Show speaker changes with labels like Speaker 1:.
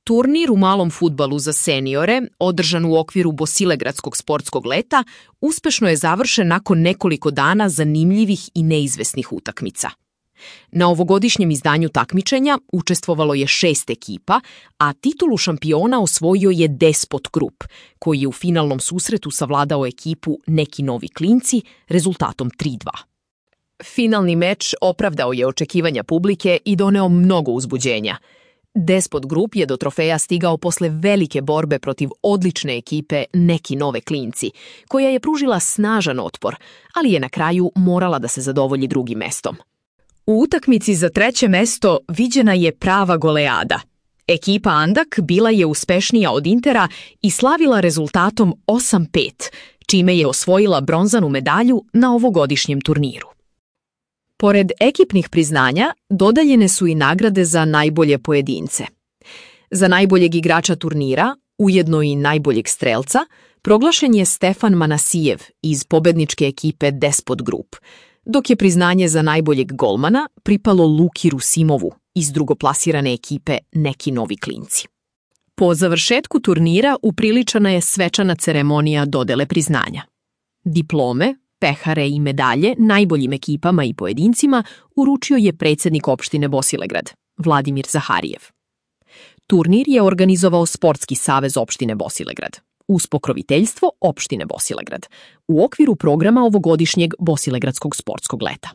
Speaker 1: Turnir u malom fudbalu za seniore, održan u okviru Bosilegradskog sportskog leta, uspešno je završen nakon nekoliko dana zanimljivih i neizvesnih utakmica. Na ovogodišnjem izdanju takmičenja učestvovalo je 6 ekipa, a titulu šampiona osvojio je Despot Group, koji je u finalnom susretu savladao ekipu Neki novi klinci rezultatom 3:2. Finalni meč opravdao je očekivanja publike i doneo mnogo uzbuđenja. Despot Group je do trofeja stigao posle velike borbe protiv odlične ekipe Neki nove klinci, koja je pružila snažan otpor, ali je na kraju morala da se zadovolji drugim mestom. U utakmici za 3. mesto viđena je prava goleada. Ekipa Andak bila je uspešnija od Intera i slavila rezultatom 8:5, čime je osvojila bronzanu medalju na ovogodišnjem turniru. Pored ekipnih priznanja, dodeljene su i nagrade za najbolje pojedince. Za najboljeg igrača turnira, ujedno i najboljeg strelca, proglašen je Stefan Manasijev iz pobedničke ekipe Despot Group, dok je priznanje za najboljeg golmana pripalo Luki Rusimovu iz drugoplasirane ekipe Neki novi klinci. Po završetku turnira upriličana je svečana ceremonija dodele priznanja. Diplome, pehare i medalje najboljim ekipama i pojedincima uručio je predsjednik opštine Bosilegrad, Vladimir Zaharijev. Turnir je organizovao Sportski savez opštine Bosilegrad, uz pokroviteljstvo opštine Bosilegrad, u okviru programa ovogodišnjeg Bosilegradskog sportskog leta.